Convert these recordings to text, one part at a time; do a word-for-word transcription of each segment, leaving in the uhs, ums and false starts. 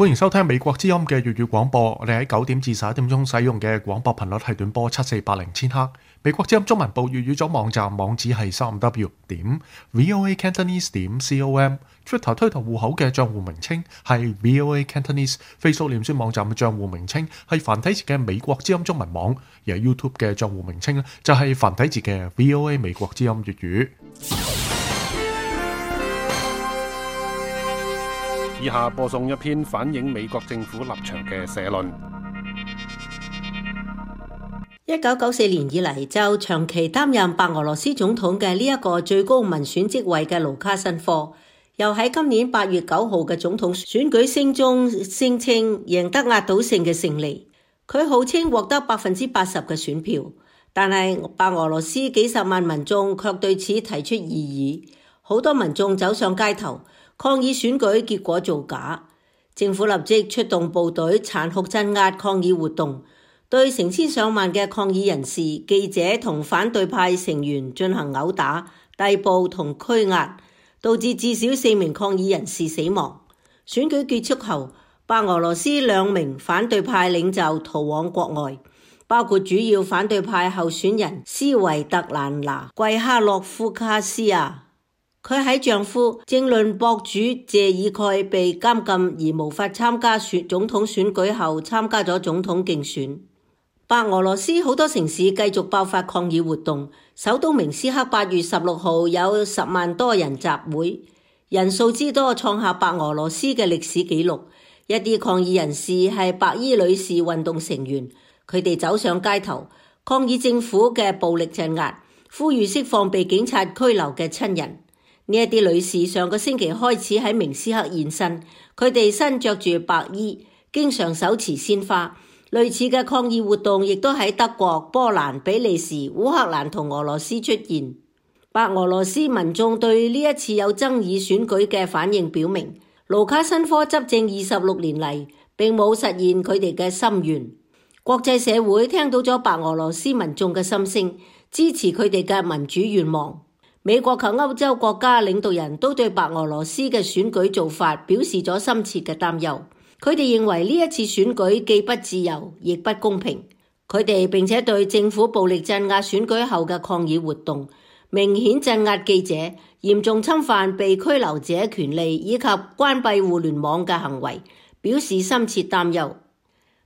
歡迎收聽美國之音嘅粵語廣播。我哋喺九點至十一點鐘使用嘅廣播頻率係短波七四八零千赫。美國之音中文部粵語組網站網址係三 w 點 voa cantonese 點 com。Twitter 推特戶口嘅賬戶名稱係 voa cantonese。Facebook 臉書網站嘅賬戶名稱係繁體字嘅美國之音中文網，而 YouTube 嘅賬戶名稱咧就係繁體字嘅 voa 美國之音粵語。以下播送一篇反映美國政府立場嘅社論。一九九四年以嚟就長期擔任白俄羅斯總統嘅呢一個最高民選職位嘅盧卡申科，又喺今年八月九號嘅總統選舉聲中聲稱贏得壓倒性嘅勝利。佢號稱獲得百分之八十嘅選票，但係白俄羅斯幾十萬民眾卻對此提出異議，好多民眾走上街頭抗議選舉結果造假，政府立即出動部隊殘酷鎮壓抗議活動，對成千上萬嘅抗議人士、記者同反對派成員進行毆打、逮捕同拘押，導致至少四名抗議人士死亡。選舉結束後，白俄羅斯兩名反對派領袖逃往國外，包括主要反對派候選人斯維特蘭娜·季哈諾夫卡斯亞。佢喺丈夫政論博主謝爾蓋被監禁而無法參加選總統選舉後，參加咗總統競選。白俄羅斯好多城市繼續爆發抗議活動，首都明斯克八月十六號有十萬多人集會，人數之多創下白俄羅斯嘅歷史紀錄。一啲抗議人士係白衣女士運動成員，佢哋走上街頭抗議政府嘅暴力鎮壓，呼籲釋放被警察拘留嘅親人。呢一啲女士上個星期開始喺明斯克現身，佢哋身着住白衣，經常手持鮮花。類似嘅抗議活動亦都喺德國、波蘭、比利時、烏克蘭同俄羅斯出現。白俄羅斯民眾對呢一次有爭議選舉嘅反應表明，盧卡申科執政二十六年嚟並冇實現佢哋嘅心願。國際社會聽到咗白俄羅斯民眾嘅心聲，支持佢哋嘅民主願望。美國及歐洲國家領導人都對白俄羅斯嘅選舉做法表示咗深切嘅擔憂。佢哋認為呢一次選舉既不自由，亦不公平。佢哋並且對政府暴力鎮壓選舉後嘅抗議活動、明顯鎮壓記者、嚴重侵犯被拘留者權利以及關閉互聯網嘅行為表示深切擔憂。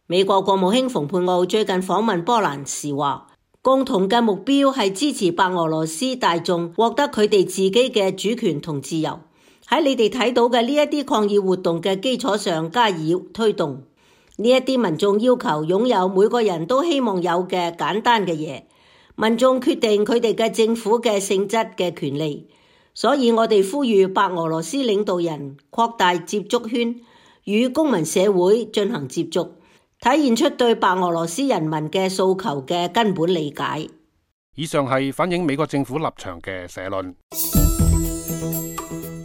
美國國務卿蓬佩奧最近訪問波蘭時話，共同嘅目標係支持白俄羅斯大眾獲得佢哋自己嘅主權同自由，喺你哋睇到嘅呢一啲抗議活動嘅基礎上加以推動。呢一啲民眾要求擁有每個人都希望有嘅簡單嘅嘢，民眾決定佢哋嘅政府嘅性質嘅權利。所以我哋呼籲白俄羅斯領導人擴大接觸圈，與公民社會進行接觸，體現出對白俄羅斯人民嘅訴求嘅根本理解。以上係反映美國政府立場嘅社論。